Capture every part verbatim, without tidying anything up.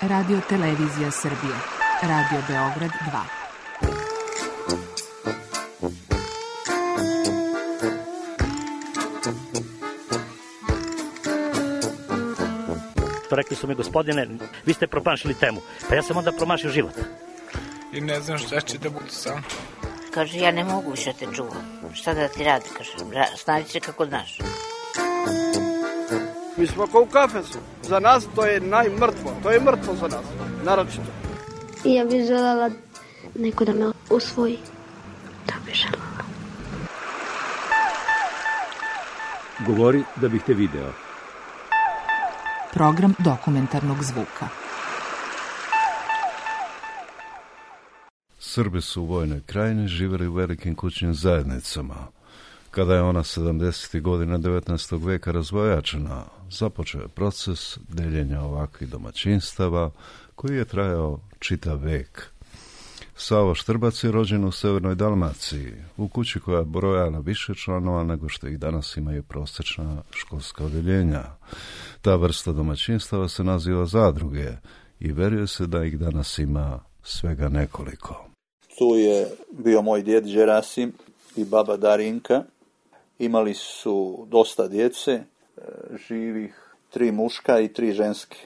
Radio Televizija Srbije. Radio Beograd dva. Rekli su mi, gospodine, vi ste promašili temu. Pa ja sam onda promašio život. I ne znam šta će da bude sam. Kaže, ja ne mogu više te čuvam. Šta da ti radi, kaže, snađi se kako znaš. Mi smo kao u kafesu. Za nas to je najmrtvo. To je mrtvo za nas, naročito. I ja bih željela neko da me usvoji. Da bih željela. Govori da bih te video. Program dokumentarnog zvuka. Srbi su u Vojnoj krajini živjeli u velikim kućnim zajednicama. Kada je ona sedamdesetih godina devetnaestog veka razvojačena, započeo je proces deljenja ovakvih domaćinstava koji je trajao čitav vek. Savo Štrbac je rođen u Severnoj Dalmaciji, u kući koja je brojala više članova nego što ih danas imaju prosječna školska odeljenja. Ta vrsta domaćinstava se naziva zadruge i veruje se da ih danas ima svega nekoliko. Tu je bio moj djed Đerasim i baba Darinka. Imali su dosta djece, živih tri muška i tri ženske,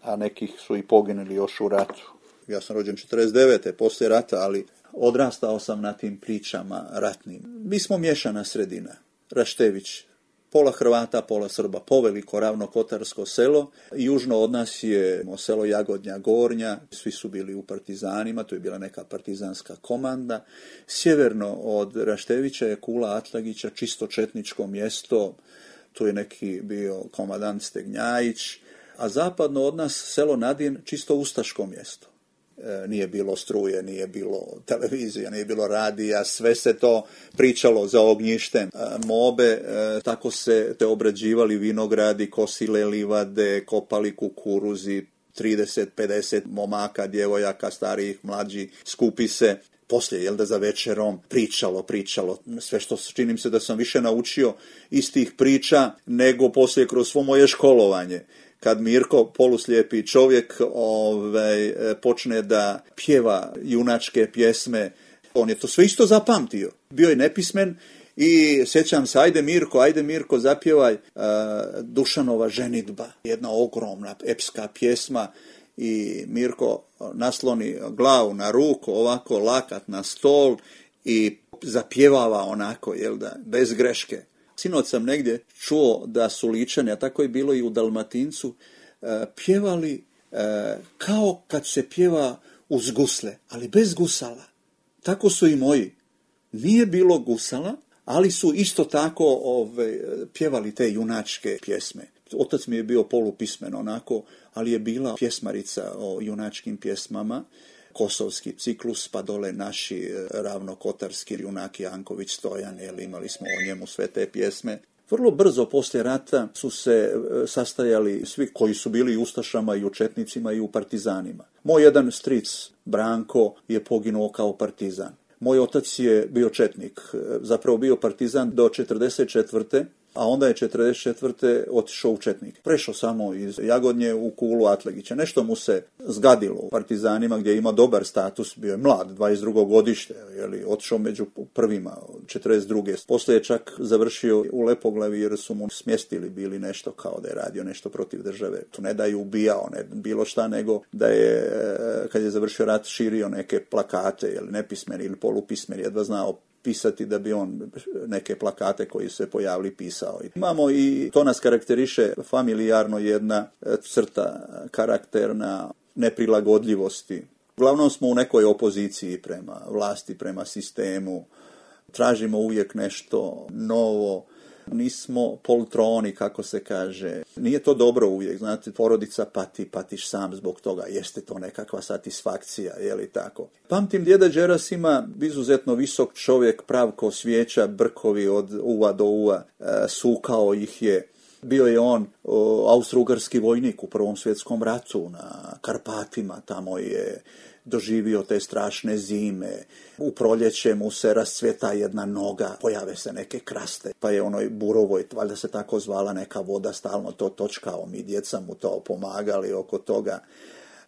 a nekih su i poginuli još u ratu. Ja sam rođen četrdeset devete poslije rata, ali odrastao sam na tim pričama ratnim. Mi smo miješana sredina, Raštević, pola Hrvata, pola Srba, poveliko ravnokotarsko selo. Južno od nas je selo Jagodnja Gornja, svi su bili u partizanima, to je bila neka partizanska komanda. Sjeverno od Raštevića je Kula Atlagića, čisto četničko mjesto, tu je neki bio komadant Stegnjajić, a zapadno od nas selo Nadin, čisto ustaško mjesto. Nije bilo struje, nije bilo televizija, nije bilo radija, sve se to pričalo za ognjištem mobe, tako se te obrađivali vinogradi, kosile livade, kopali kukuruzi, trideset pedeset momaka, djevojaka, starijih, mlađih, skupi se. Poslije, jel da za večerom, pričalo, pričalo, sve što činim se da sam više naučio iz tih priča nego poslije kroz svo moje školovanje. Kad Mirko, poluslijepi čovjek, ovaj, počne da pjeva junačke pjesme, on je to sve isto zapamtio. Bio je nepismen i sjećam se, ajde Mirko, ajde Mirko, zapjevaj uh, Dušanova ženidba, jedna ogromna epska pjesma, i Mirko nasloni glavu na ruku, ovako lakat na stol i zapjevava onako, jel da, bez greške. Sinoć sam negdje čuo da su Ličani, a tako je bilo i u Dalmatincu, pjevali kao kad se pjeva uz gusle, ali bez gusala. Tako su i moji. Nije bilo gusala, ali su isto tako ove, pjevali te junačke pjesme. Otac mi je bio polupismen onako, ali je bila pjesmarica o junačkim pjesmama. Kosovski ciklus, pa dole naši ravnokotarski junaki Janković Stojan, jer imali smo o njemu sve te pjesme. Vrlo brzo poslije rata su se sastajali svi koji su bili u ustašama i u četnicima i u partizanima. Moj jedan stric, Branko, je poginuo kao partizan. Moj otac je bio četnik, zapravo bio partizan do četrdeset četvrte a onda je četrdeset četvrte otišao u četnik. Prešao samo iz Jagodnje u Kulu Atlagića. Nešto mu se zgadilo u partizanima gdje ima dobar status, bio je mlad, dvadeset drugo godište, jeli, otišao među prvima, četrdeset druge Poslije je čak završio u Lepoglavi jer su mu smjestili bili nešto kao da je radio nešto protiv države. Tu ne da je ubijao, ne bilo šta, nego da je, kad je završio rat, širio neke plakate, jeli, nepismeni ili polupismeni, jedva znao pisati da bi on neke plakate koji se pojavili pisao. Imamo i, to nas karakteriše familijarno, jedna crta karakterna neprilagodljivosti. Uglavnom smo u nekoj opoziciji prema vlasti, prema sistemu. Tražimo uvijek nešto novo. Nismo poltroni, kako se kaže. Nije to dobro uvijek, znate, porodica pati, patiš sam zbog toga, jeste to nekakva satisfakcija, je li tako? Pamtim djeda Đerasima, izuzetno visok čovjek, prav ko svijeća, brkovi od uva do uva, e, sukao ih je. Bio je on o, austro-ugarski vojnik u Prvom svjetskom ratu na Karpatima, tamo je doživio te strašne zime. U proljeće mu se rascveta jedna noga, pojave se neke kraste, pa je onoj Burovoj, valjda se tako zvala neka voda, stalno to točkao, mi djeca mu to pomagali oko toga.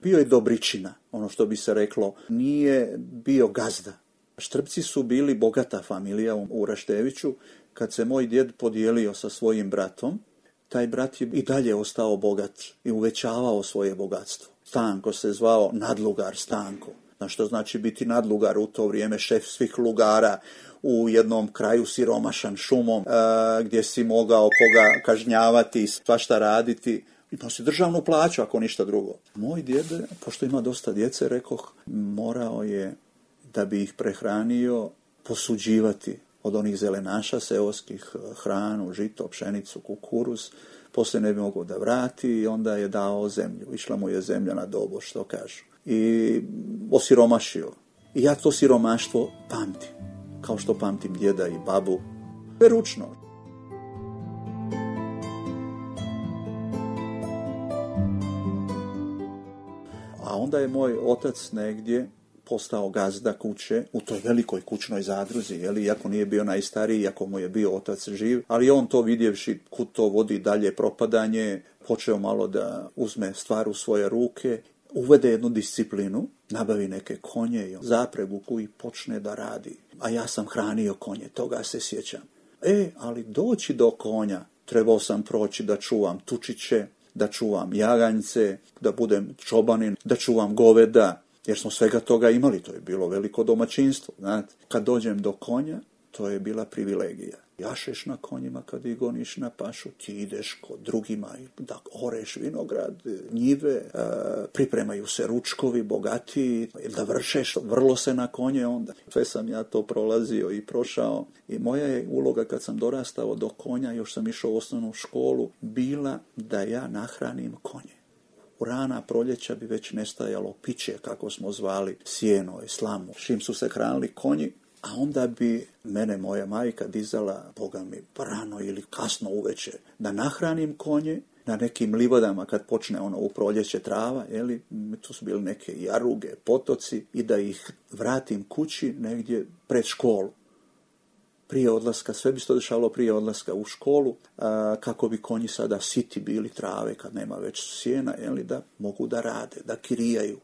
Bio je dobričina, ono što bi se reklo, nije bio gazda. Štrbci su bili bogata familija u Rašteviću. Kad se moj djed podijelio sa svojim bratom, taj brat je i dalje ostao bogat i uvećavao svoje bogatstvo. Stanko se zvao nadlugar Stanko. Na što znači biti nadlugar u to vrijeme, šef svih lugara u jednom kraju siromašan šumom, a, gdje si mogao koga kažnjavati, svašta raditi. Imao si državnu plaću, ako ništa drugo. Moj djed, pošto ima dosta djece, rekoh, morao je, da bi ih prehranio, posuđivati od onih zelenaša seoskih, hranu, žito, pšenicu, kukuruz. Poslije ne bi mogao da vrati i onda je dao zemlju. Išla mu je zemlja na dobo, što kažu. I osiromašio. I ja to siromaštvo pamtim. Kao što pamtim djeda i babu. Ručno. A onda je moj otac negdje postao gazda kuće u toj velikoj kućnoj zadruzi, jeli, iako nije bio najstariji, iako mu je bio otac živ, ali on to vidjevši kud to vodi dalje propadanje, počeo malo da uzme stvar u svoje ruke, uvede jednu disciplinu, nabavi neke konje i zapregu i počne da radi. A ja sam hranio konje, toga se sjećam. E, ali doći do konja, trebao sam proći da čuvam tučiće, da čuvam jaganjce, da budem čobanin, da čuvam goveda, jer smo svega toga imali, to je bilo veliko domaćinstvo. Znate. Kad dođem do konja, to je bila privilegija. Jašeš na konjima kad ih goniš na pašu, ti ideš kod drugima da oreš vinograd, njive, pripremaju se ručkovi bogatiji, da vršeš, vrlo se na konje onda. Sve sam ja to prolazio i prošao i moja je uloga kad sam dorastao do konja, još sam išao u osnovnu školu, bila da ja nahranim konje. U rana proljeća bi već nestajalo piće, kako smo zvali, sjeno i slamu. Šim su se hranili konji, a onda bi mene moja majka dizala, Boga mi, rano ili kasno uveče, da nahranim konje na nekim livadama kad počne ono u proljeće trava, jeli, tu su bili neke jaruge, potoci, i da ih vratim kući negdje pred školu. Prije odlaska, sve bi se to dešavalo prije odlaska u školu, a, kako bi konji sada siti bili trave kad nema već sjena, jeli, da mogu da rade, da kirijaju.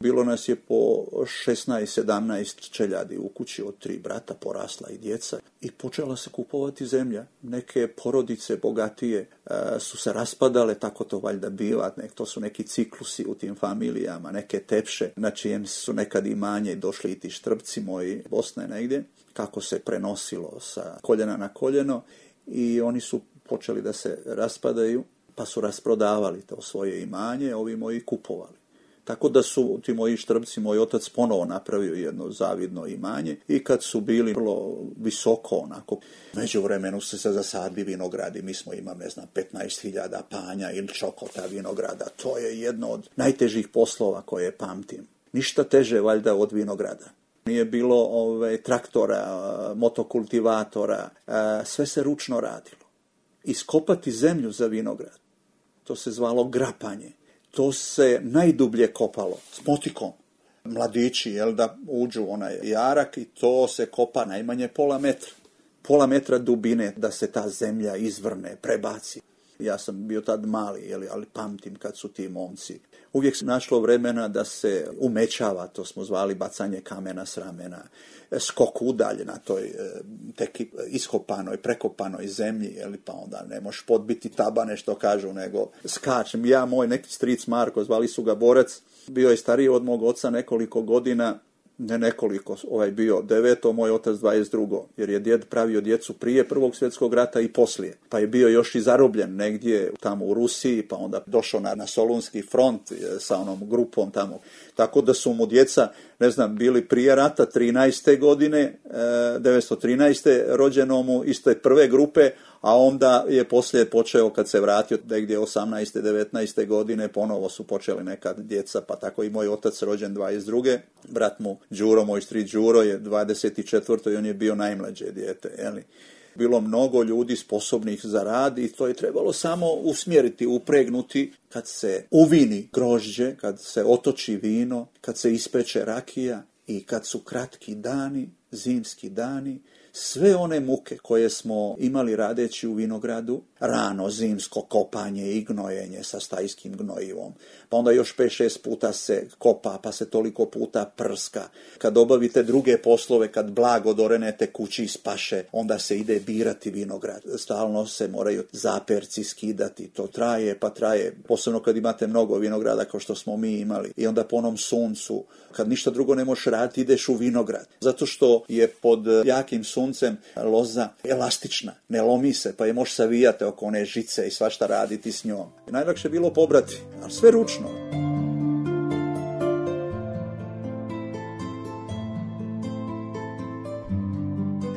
Bilo nas je po šesnaest sedamnaest čeljadi u kući, od tri brata, porasla i djeca, i počela se kupovati zemlja. Neke porodice bogatije a, su se raspadale, tako to valjda biva, nek, to su neki ciklusi u tim familijama, neke tepše, na čijem su nekad imanje došli i ti Štrbci moji, Bosne negdje, kako se prenosilo sa koljena na koljeno, i oni su počeli da se raspadaju, pa su rasprodavali to svoje imanje, ovi moji kupovali. Tako da su ti moji Štrbci, moj otac ponovo napravio jedno zavidno imanje, i kad su bili vrlo visoko onako, međuvremenu su se zasadili vinogradi, mi smo imali, ne znam, petnaest hiljada panja ili čokota vinograda. To je jedno od najtežih poslova koje pamtim. Ništa teže valjda od vinograda. Nije bilo ove, traktora, motokultivatora, sve se ručno radilo. Iskopati zemlju za vinograd, to se zvalo grapanje. To se najdublje kopalo s motikom. Mladići, jel, da uđu onaj jarak, i to se kopa najmanje pola metra. Pola metra dubine da se ta zemlja izvrne, prebaci. Ja sam bio tad mali, jel, ali pamtim kad su ti momci. Uvijek se našlo vremena da se umećava, to smo zvali bacanje kamena s ramena, skok udalje na toj tek iskopanoj, prekopanoj zemlji, jel, pa onda ne možeš podbiti tabane, što kažu, nego skačem. Ja, moj neki stric Marko, zvali su ga Borac, bio je stariji od mog oca nekoliko godina, ne nekoliko, ovaj bio deveto, moj otac dvadeset drugo, jer je djed pravio djecu prije Prvog svjetskog rata i poslije. Pa je bio još i zarobljen negdje tamo u Rusiji, pa onda došao na, na Solunski front sa onom grupom tamo. Tako da su mu djeca, ne znam, bili prije rata trinaeste godine, devetsto trinaeste rođeno mu iz te prve grupe, a onda je poslije počeo, kad se vratio negdje osamnaeste devetnaeste godine, ponovo su počeli neka djeca, pa tako i moj otac rođen dvadeset druge Brat mu Đuro, moj stric Đuro, je dvadeset četvrto i on je bio najmlađe dijete, jeli. Bilo mnogo ljudi sposobnih za rad i to je trebalo samo usmjeriti, upregnuti. Kad se uvini grožđe, kad se otoči vino, kad se ispeče rakija i kad su kratki dani, zimski dani, sve one muke koje smo imali radeći u vinogradu, rano zimsko kopanje i gnojenje sa stajskim gnojivom. Pa onda još pet šest puta se kopa, pa se toliko puta prska. Kad obavite druge poslove, kad blago dorenete kući iz paše, onda se ide birati vinograd. Stalno se moraju zaperci skidati. To traje, pa traje. Posebno kad imate mnogo vinograda kao što smo mi imali. I onda po onom suncu, kad ništa drugo ne možeš raditi, ideš u vinograd. Zato što je pod jakim suncem loza elastična. Ne lomi se, pa je možeš savijati oko one žice i svašta raditi s njom. Najlakše je bilo pobrati, ali sve ručno.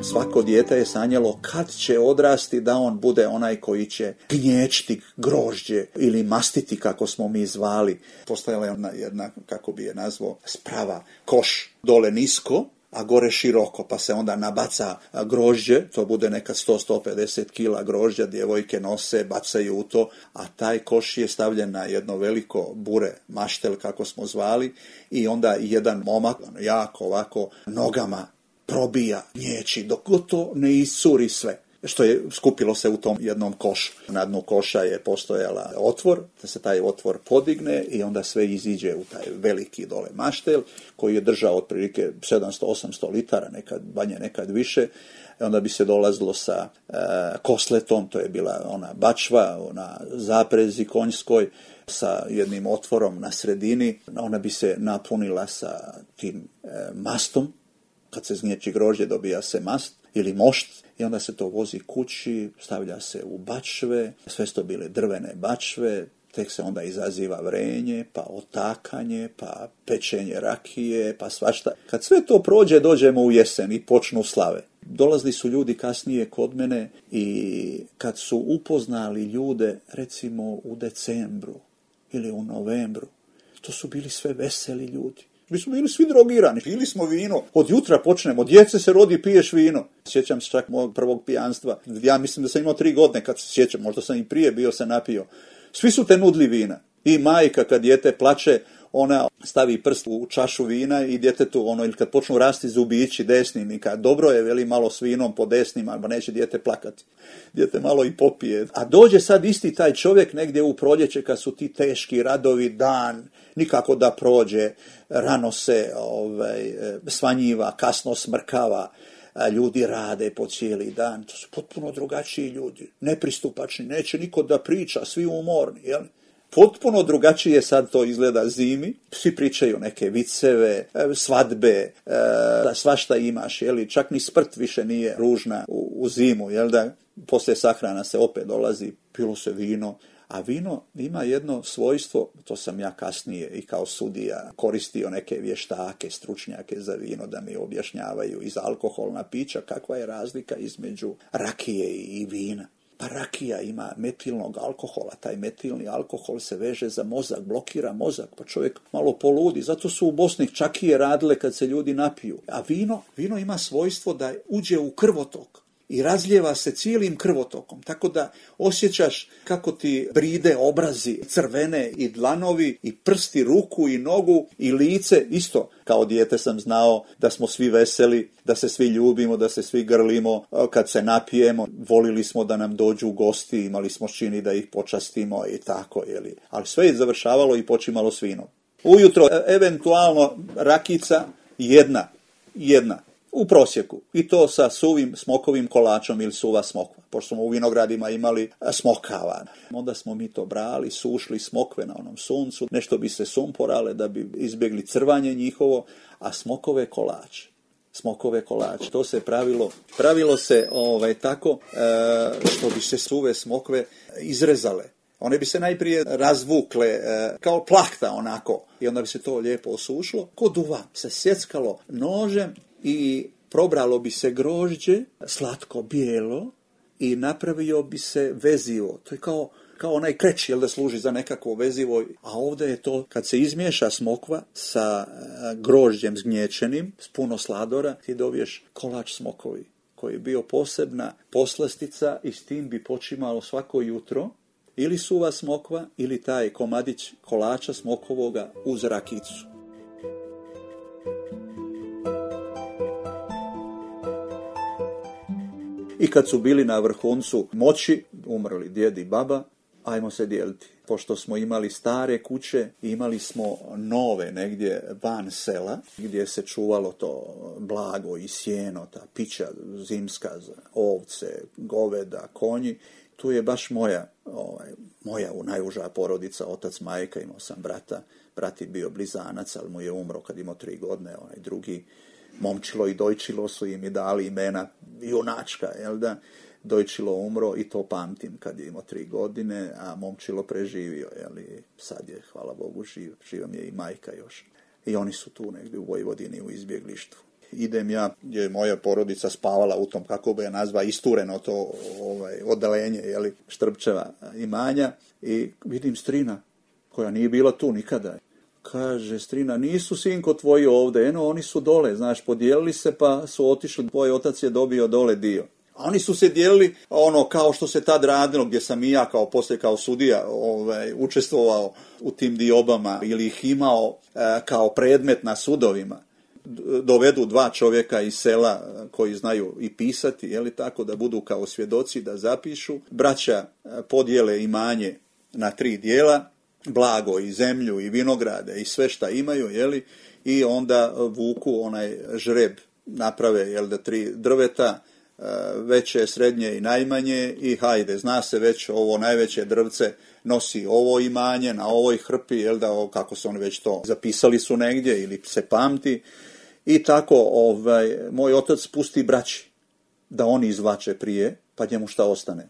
Svako dijete je sanjalo kad će odrasti da on bude onaj koji će gnječiti grožđe ili mastiti, kako smo mi zvali. Postojala je jedna, jedna, kako bi je nazvao, sprava, koš dole nisko, a gore široko, pa se onda nabaca grožđe, to bude neka sto do sto pedeset kila grožđa, djevojke nose, bacaju u to, a taj koš je stavljen na jedno veliko bure, maštel, kako smo zvali, i onda jedan momak, jako ovako, nogama probija gnječi, dok to ne iscuri sve, što je skupilo se u tom jednom košu. Na dnu koša je postojala otvor, da se taj otvor podigne i onda sve iziđe u taj veliki dole maštel, koji je držao otprilike sedamsto do osamsto litara, nekad manje, nekad više. I onda bi se dolazilo sa e, kosletom, to je bila ona bačva, ona zaprezi konjskoj, sa jednim otvorom na sredini. Ona bi se napunila sa tim e, mastom. Kad se zgnječi grožđe, dobija se mast ili mošt i onda se to vozi kući, stavlja se u bačve, sve su to bile drvene bačve, tek se onda izaziva vrenje, pa otakanje, pa pečenje rakije, pa svašta. Kad sve to prođe, dođemo u jesen i počnu slave. Dolazili su ljudi kasnije kod mene i kad su upoznali ljude, recimo u decembru ili u novembru, to su bili sve veseli ljudi. Mi smo bili svi drogirani, pili smo vino. Od jutra počnemo, djece se rodi, piješ vino. Sjećam se čak mojeg prvog pijanstva. Ja mislim da sam imao tri godine kad se sjećam, možda sam i prije bio se napio. Svi su te nudli vina. I majka kad dijete plače, ona stavi prst u čašu vina i djetetu, ono, ili kad počnu rasti zubići desnim, i kad dobro je, veli, malo s vinom po desnim, ali neće dijete plakati. Dijete malo i popije. A dođe sad isti taj čovjek negdje u proljeće kad su ti teški radovi, dan, nikako da prođe, rano se ovaj, svanjiva, kasno smrkava, ljudi rade po cijeli dan. To su potpuno drugačiji ljudi, nepristupačni, neće niko da priča, svi umorni, jel? Potpuno drugačije sad to izgleda zimi, svi pričaju neke viceve, svadbe, svašta imaš, jeli? Čak ni smrt više nije ružna u, u zimu, jel da? Poslije sahrana se opet dolazi, pilo se vino, a vino ima jedno svojstvo, to sam ja kasnije i kao sudija koristio neke vještake, stručnjake za vino da mi objašnjavaju iz alkoholna pića kakva je razlika između rakije i vina. Pa rakija ima metilnog alkohola, taj metilni alkohol se veže za mozak, blokira mozak, pa čovjek malo poludi. Zato su u Bosni čakije radile kad se ljudi napiju. A vino, vino ima svojstvo da uđe u krvotok i razljeva se cijelim krvotokom, tako da osjećaš kako ti bride obrazi, crvene i dlanovi i prsti, ruku i nogu i lice. Isto kao dijete sam znao da smo svi veseli, da se svi ljubimo, da se svi grlimo, kad se napijemo, volili smo da nam dođu gosti, imali smo čini da ih počastimo i tako, jeli. Ali sve je završavalo i počimalo s vinom. Ujutro eventualno rakica jedna, jedna. U prosjeku. I to sa suvim smokovim kolačom ili suva smokva. Pošto smo u vinogradima imali smokava. Onda smo mi to brali, sušli smokve na onom suncu. Nešto bi se sumporale da bi izbjegli crvanje njihovo. A smokove kolače. Smokove kolače. To se pravilo. Pravilo se ovaj, tako e, što bi se suve smokve izrezale. One bi se najprije razvukle e, kao plahta onako. I onda bi se to lijepo osušilo. Ko duva se sjeckalo nožem i probralo bi se grožđe, slatko bijelo, i napravio bi se vezivo. To je kao, kao onaj kreć, jel da služi za nekakvo vezivo. A ovdje je to, kad se izmiješa smokva sa grožđem zgnječenim, s puno sladora, ti dobiješ kolač smokovi, koji je bio posebna poslastica i s tim bi počimalo svako jutro ili suva smokva ili taj komadić kolača smokovoga uz rakicu. I kad su bili na vrhuncu moći, umrli djed i baba, ajmo se dijeliti. Pošto smo imali stare kuće, imali smo nove negdje van sela, gdje se čuvalo to blago i sjeno, ta pića zimska, ovce, goveda, konji. Tu je baš moja, ovaj, moja najuža porodica, otac, majka, imao sam brata. Brat je bio blizanac, ali mu je umro kad imao tri godine, onaj drugi. Momčilo i Dojčilo su im i dali imena junačka, jel da? Dojčilo umro i to pamtim kad je imao tri godine, a Momčilo preživio, jel? I sad je, hvala Bogu, živ, živa mi je i majka još. I oni su tu negdje u Vojvodini u izbjeglištvu. Idem ja, gdje je moja porodica spavala u tom, kako bi je nazva, istureno to ovaj, odalenje, jel? Štrpčeva imanja, i vidim strina koja nije bila tu nikada. Kaže strina, nisu sinko tvoji ovdje, eno oni su dole, znaš, podijelili se pa su otišli, tvoj otac je dobio dole dio. A oni su se dijelili ono kao što se tad radilo, gdje sam i ja kao poslije kao sudija ovaj, učestvovao u tim diobama ili ih imao e, kao predmet na sudovima. Dovedu dva čovjeka iz sela koji znaju i pisati, je li tako, da budu kao svjedoci, da zapišu. Braća podijele imanje na tri dijela, blago i zemlju i vinograde i sve šta imaju, jeli, i onda vuku onaj žreb, naprave, jel da, tri drveta, veće, srednje i najmanje, i hajde, zna se već ovo najveće drvce nosi ovo imanje na ovoj hrpi, jel da, kako su oni već to zapisali su negdje ili se pamti, i tako ovaj, moj otac pusti braći da oni izvlače prije, pa njemu šta ostane.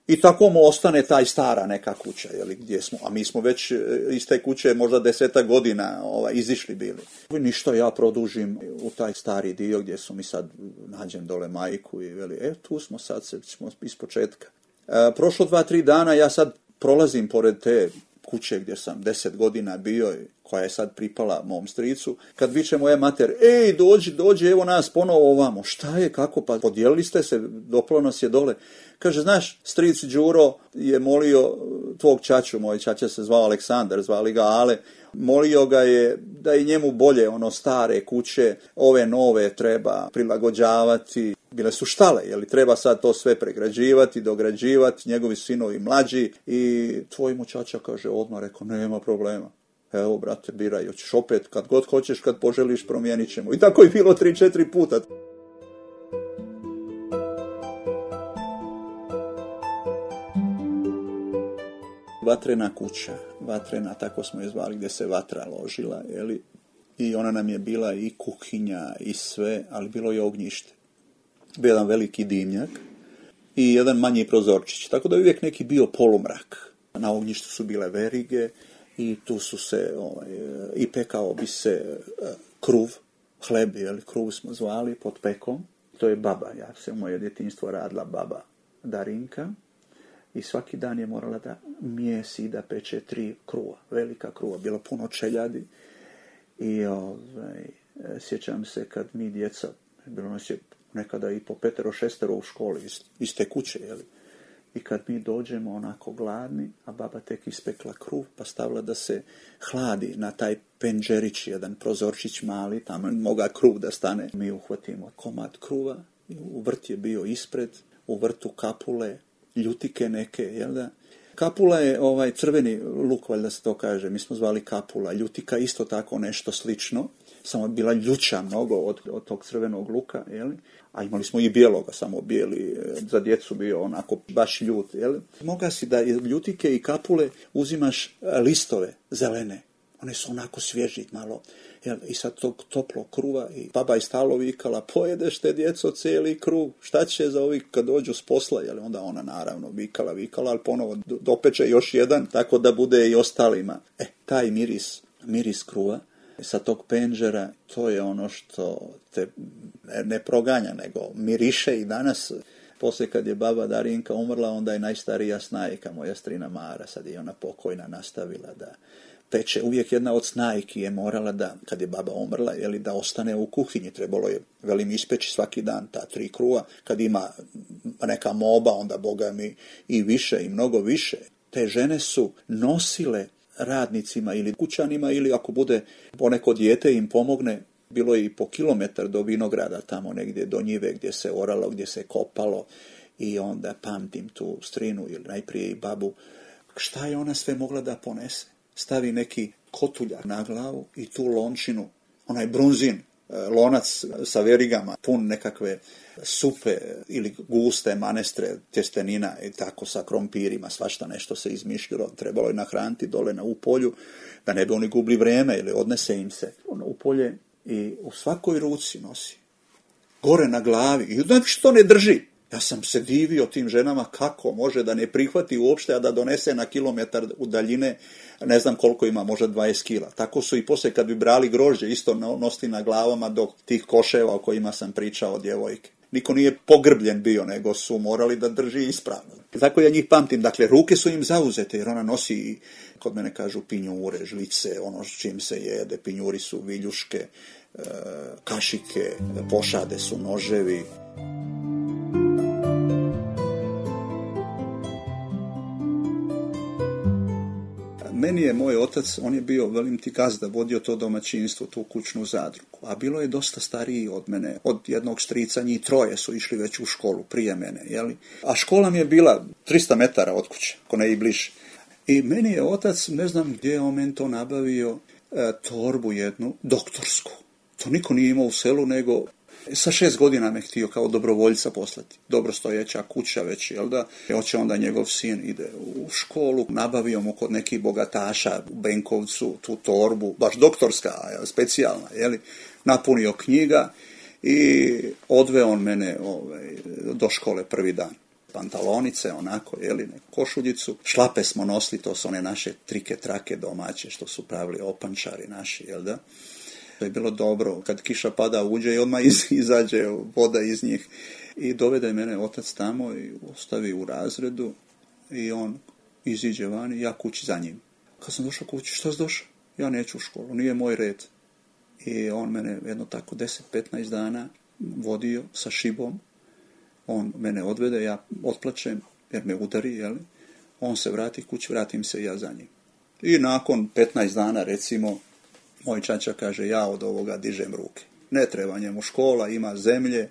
I tako mu ostane taj stara neka kuća, jeli, gdje smo, a mi smo već iz te kuće možda desetak godina ovaj, izišli bili. Ništa, ja produžim u taj stari dio gdje su mi sad, nađem dole majku i veli, e, tu smo sad, se, smo iz početka. E, prošlo dva, tri dana, ja sad prolazim pored te kuće gdje sam deset godina bio, koja je sad pripala mom stricu, kad viče moja mater, ej, dođi, dođi, evo nas ponovo ovamo. Šta je, kako, pa podijelili ste se, doplo nas je dole. Kaže, znaš, stric Đuro je molio tvog čaču, moj čača se zvao Aleksandar, zvali ga Ale, molio ga je da i njemu bolje ono stare kuće, ove nove treba prilagođavati. Bile su štale, jeli, treba sad to sve pregrađivati, dograđivati, njegovi sinovi mlađi, i tvoj mu čača kaže odmah, rekao, nema problema. Evo, brate, biraj, hoćeš opet, kad god hoćeš, kad poželiš, promijenit ćemo. I tako je bilo tri, četiri puta. Vatrena kuća, vatrena, tako smo je zvali, gdje se vatra ložila, jeli, i ona nam je bila i kuhinja i sve, ali bilo je ognjište. Bio jedan veliki dimnjak i jedan manji prozorčić, tako da je uvijek neki bio polumrak. Na ognjištu su bile verige i tu su se, ovaj, i pekao bi se kruv, hleb, jeli, kruv smo zvali pod pekom. To je baba, ja se u moje djetinjstvo radila baba Darinka. I svaki dan je morala da mijesi, da peče tri kruva, velika kruva, bilo puno čeljadi. I ovaj, sjećam se kad mi djeca, bilo nas je nekada i po petero, šestero u školi iz, iz te kuće, jeli. I kad mi dođemo onako gladni, a baba tek ispekla kruv, pa stavila da se hladi na taj penđerić, jedan prozorčić mali, tamo moga kruv da stane. Mi uhvatimo komad kruva, u vrt je bio ispred, u vrtu kapule, ljutike neke, jel da? Kapula je ovaj crveni luk, valjda se to kaže, mi smo zvali kapula. Ljutika isto tako nešto slično, samo bila ljuća mnogo od, od tog crvenog luka, jel? A imali smo i bijeloga, samo bijeli, za djecu bio onako baš ljut, jel? Moga si da ljutike i kapule uzimaš listove zelene, one su onako svježi malo, jel? I sad tog toplog kruva, i baba je stalo vikala, pojedeš te djeco cijeli kruv, šta će za ovih kad dođu s posla, jel? Onda ona naravno vikala, vikala, ali ponovo dopeče još jedan, tako da bude i ostalima. E, taj miris, miris kruva sa tog penđera, to je ono što te ne proganja, nego miriše i danas. Poslije kad je baba Darinka umrla, onda je najstarija snajka, moja strina Mara, sad je ona pokojna, nastavila da peče. Uvijek jedna od snajki je morala da, kad je baba umrla, jeli, da ostane u kuhinji. Trebalo je, velim, ispeći svaki dan ta tri kruva. Kad ima neka moba, onda boga mi i više, i mnogo više. Te žene su nosile radnicima ili kućanima, ili ako bude poneko dijete im pomogne, bilo je i po kilometar do vinograda, tamo negdje do njive gdje se oralo, gdje se kopalo, I onda pamtim tu strinu ili najprije i babu. Šta je ona sve mogla da ponese? Stavi neki kotuljak na glavu i tu lončinu, onaj brunzin, lonac sa verigama, pun nekakve supe ili guste manestre, tjestenina i tako sa krompirima, svašta nešto se izmišljalo. Trebalo je nahraniti dole na u polju, da ne bi oni gubili vrijeme ili odnese im se ono, u polje i u svakoj ruci nosi. Gore na glavi. I znači što ne drži. Ja sam se divio tim ženama kako može da ne prihvati uopšte, a da donese na kilometar u daljine, ne znam koliko ima, možda dvadeset kila. Tako su i poslije kad bi brali grožđe isto nosili na glavama do tih koševa o kojima sam pričao od djevojke. Niko nije pogrbljen bio, nego su morali da drži ispravno. Tako ja njih pamtim. Dakle, ruke su im zauzete, jer ona nosi, kod mene kažu, pinjure, žlice, ono s čim se jede. Pinjuri su viljuške, kašike, pošade su noževi. Meni je moj otac, on je bio, velim ti gazda, vodio to domaćinstvo, tu kućnu zadrugu, a bilo je dosta stariji od mene, od jednog strica, njih troje su išli već u školu prije mene, jeli? A škola mi je bila tristo metara od kuće, ako ne i bliže. I meni je otac, ne znam gdje je on meni to nabavio, e, torbu jednu, doktorsku. To niko nije imao u selu, nego sa šest godina me htio kao dobrovoljca poslati. Dobrostojeća kuća već, jel da? Hoće onda njegov sin ide u školu, nabavio mu kod nekih bogataša u Benkovcu tu torbu, baš doktorska, specijalna, jeli? Napunio knjiga i odveo on mene ovaj, do škole prvi dan. Pantalonice, onako, jeli, košuljicu. Šlape smo nosili, to su one naše trike, trake domaće, što su pravili opančari naši, jel da? To je bilo dobro. Kad kiša pada, uđe i odmah iz, izađe voda iz njih. I dovede mene otac tamo i ostavi u razredu i on iziđe van i ja kući za njim. Kad sam došao kući, šta si došao? Ja neću u školu, nije moj red. I on mene jedno tako deset do petnaest dana vodio sa šibom. On mene odvede, ja otplačem jer me udari, jeli? On se vrati kući, vratim se i ja za njim. I nakon petnaest dana, recimo, moj čača kaže, ja od ovoga dižem ruke. Ne treba njemu škola, ima zemlje,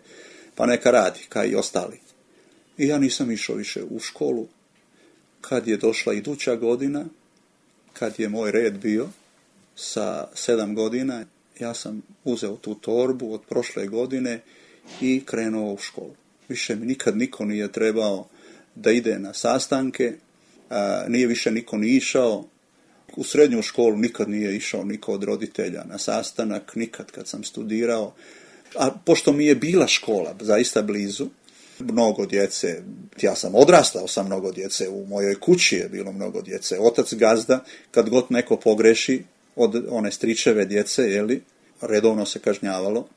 pa neka radi, kao i ostali. I ja nisam išao više u školu. Kad je došla iduća godina, kad je moj red bio, sa sedam godina, ja sam uzeo tu torbu od prošle godine i krenuo u školu. Više mi nikad niko nije trebao da ide na sastanke, a, nije više niko ni išao. U srednju školu nikad nije išao niko od roditelja na sastanak, nikad kad sam studirao. A pošto mi je bila škola zaista blizu, mnogo djece, ja sam odrastao sa mnogo djece, u mojoj kući je bilo mnogo djece. Otac gazda, kad god neko pogreši od one stričeve djece, jeli, redovno se kažnjavalo.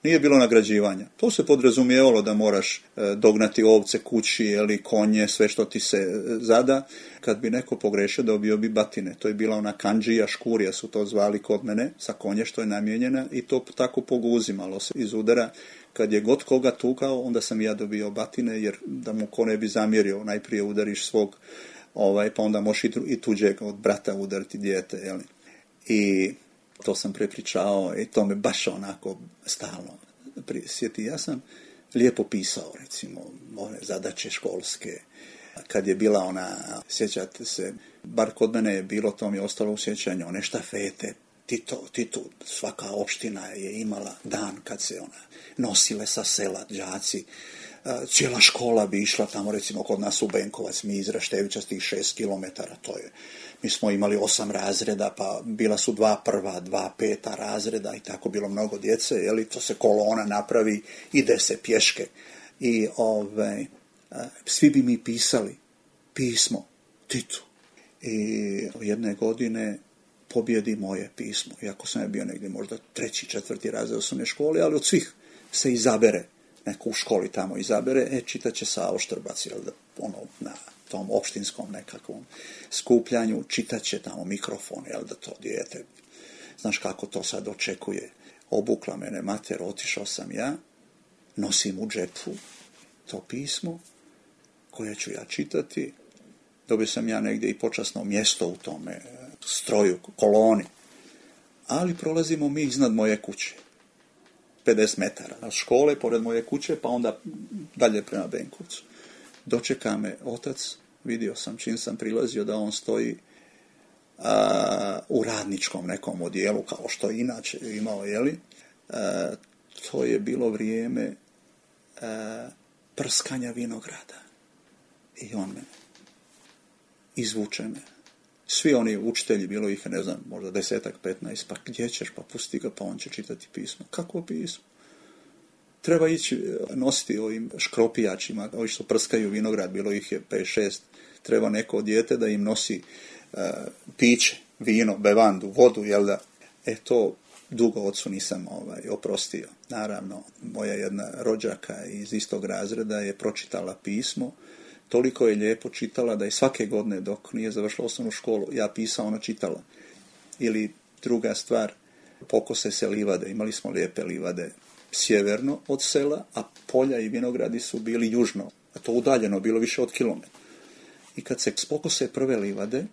Nije bilo nagrađivanja. To se podrazumijevalo da moraš e, dognati ovce kući, jeli, konje, sve što ti se e, zada. Kad bi neko pogrešio, dobio bi batine. To je bila ona kandžija, škurija su to zvali kod mene, sa konje što je namijenjena i to tako poguzimalo se iz udara. Kad je god koga tukao, onda sam ja dobio batine, jer da mu ko ne bi zamjerio, najprije udariš svog, ovaj, pa onda možeš i tuđeg od brata udariti dijete, jeli. I to sam prepričao i to me baš onako stalno prisjeti. Ja sam lijepo pisao, recimo, one zadaće školske. Kad je bila ona, sjećate se, bar kod mene je bilo, to mi je ostalo u sjećanju, one štafete. Tito, Tito, svaka opština je imala dan kad se ona nosile sa sela đaci. Cijela škola bi išla tamo, recimo kod nas u Benkovac, mi iz Raštevića s tih šest kilometara, to je. Mi smo imali osam razreda, pa bila su dva prva, dva peta razreda i tako bilo mnogo djece, jeli, to se kolona napravi, ide se pješke. I ove, svi bi mi pisali pismo Titu. I jedne godine pobjedi moje pismo, iako sam je bio negdje možda treći, četvrti razred osnovne škole, ali od svih se izabere, neko u školi tamo izabere, e, čitat će Savo Štrbac, jel da, ono, na tom opštinskom nekakvom skupljanju, čitat će tamo mikrofon, jel da to dijete, znaš kako to sad očekuje. Obukla mene mater, otišao sam ja, nosim u džepu to pismo koje ću ja čitati, dobio sam ja negdje i počasno mjesto u tome stroju, koloni, ali prolazimo mi iznad moje kuće, pedeset metara od škole, pored moje kuće, pa onda dalje prema Benkovcu. dočeka me otac, vidio sam čim sam prilazio da on stoji a, u radničkom nekom odijelu, kao što je inače imao, jeli? A, to je bilo vrijeme a, prskanja vinograda. I on me izvuče me. Svi oni učitelji, bilo ih, ne znam, možda desetak, petnaest, pa gdje ćeš, pa pusti ga, pa on će čitati pismo. Kako pismo? Treba ići nositi ovim škropijačima, ovi što prskaju vinograd, bilo ih je pet šest, treba neko dijete da im nosi uh, piće, vino, bevandu, vodu, jel da? E to dugo ocu nisam ovaj, oprostio. Naravno, moja jedna rođaka iz istog razreda je pročitala pismo, toliko je lijepo čitala da je svake godine dok nije završila osnovnu školu, ja pisao, ona čitala. Ili druga stvar, pokose se livade, imali smo lijepe livade sjeverno od sela, a polja i vinogradi su bili južno, a to udaljeno, bilo više od kilometra. I kad se pokose prve livade,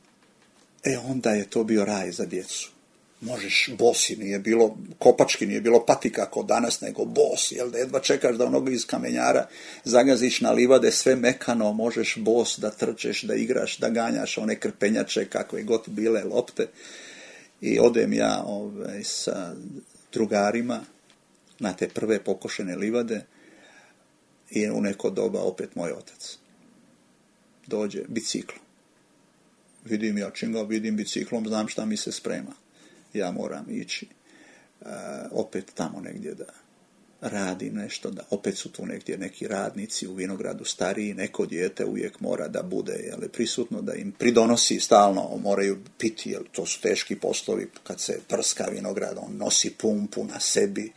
e onda je to bio raj za djecu. Možeš bosi, nije bilo kopački, nije bilo patika kao danas, nego bos, jel da jedva čekaš da onoga iz kamenjara zagaziš na livade, sve mekano, možeš bos da trčeš, da igraš, da ganjaš one krpenjače, kakve god bile lopte. I odem ja ovaj, sa drugarima na te prve pokošene livade i u neko doba opet moj otac dođe biciklom. Vidim ja čim ga vidim biciklom, znam šta mi se sprema. Ja moram ići uh, opet tamo negdje da radim nešto, da opet su tu negdje neki radnici u vinogradu stariji, neko dijete uvijek mora da bude jel, prisutno, da im pridonosi stalno, moraju piti, jer to su teški poslovi, kad se prska vinograd, on nosi pumpu na sebi,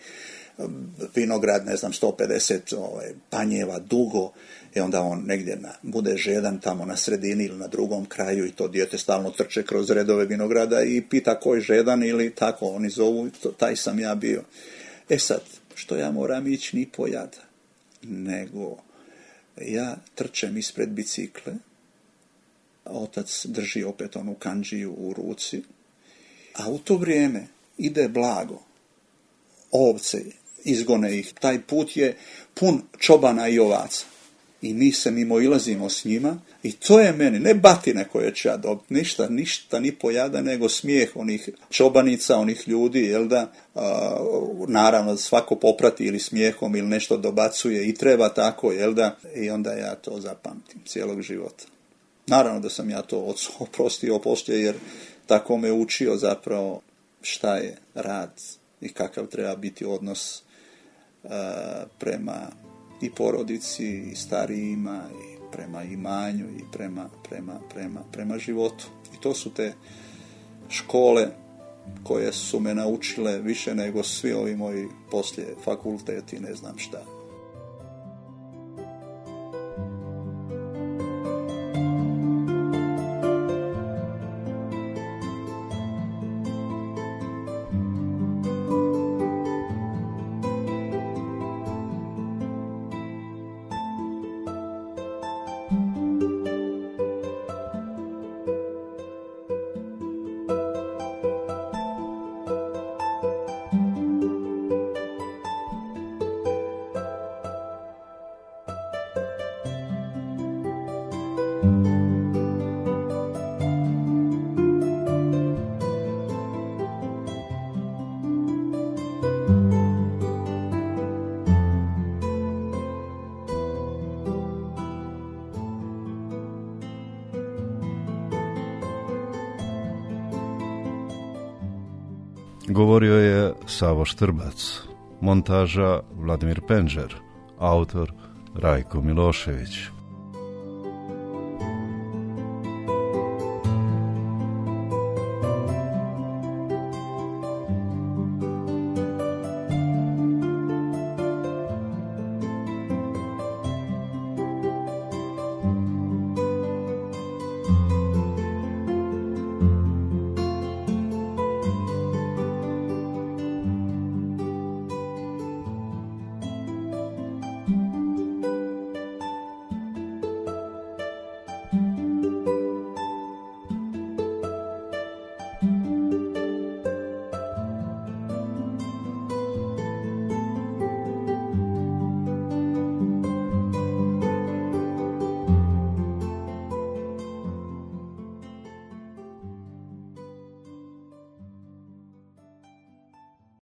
vinograd, ne znam, sto pedeset ovaj, panjeva dugo, i onda on negdje na, bude žedan tamo na sredini ili na drugom kraju i to dijete stalno trče kroz redove vinograda i pita ko je žedan ili tako oni zovu, to, taj sam ja bio. E sad, što ja moram ići ni po jada, nego ja trčem ispred bicikle, otac drži opet onu kandžiju u ruci, a u to vrijeme ide blago, ovce, izgone ih, taj put je pun čobana i ovaca. I mi se mimo ilazimo s njima i to je meni, ne batine koje ću ja dobiti, ništa, ništa ni pojada, nego smijeh onih čobanica, onih ljudi, jel da, a, naravno svako poprati ili smijehom ili nešto dobacuje i treba tako, jel da, i onda ja to zapamtim cijelog života. Naravno da sam ja to ocu oprostio poslije, jer tako me učio zapravo šta je rad i kakav treba biti odnos a, prema i porodici, i starijima, i prema imanju, i prema, prema, prema, prema životu. I to su te škole koje su me naučile više nego svi ovi moji poslije fakulteti, ne znam šta. Govorio je Savo Štrbac, montaža Vladimir Penđer, autor Rajko Milošević.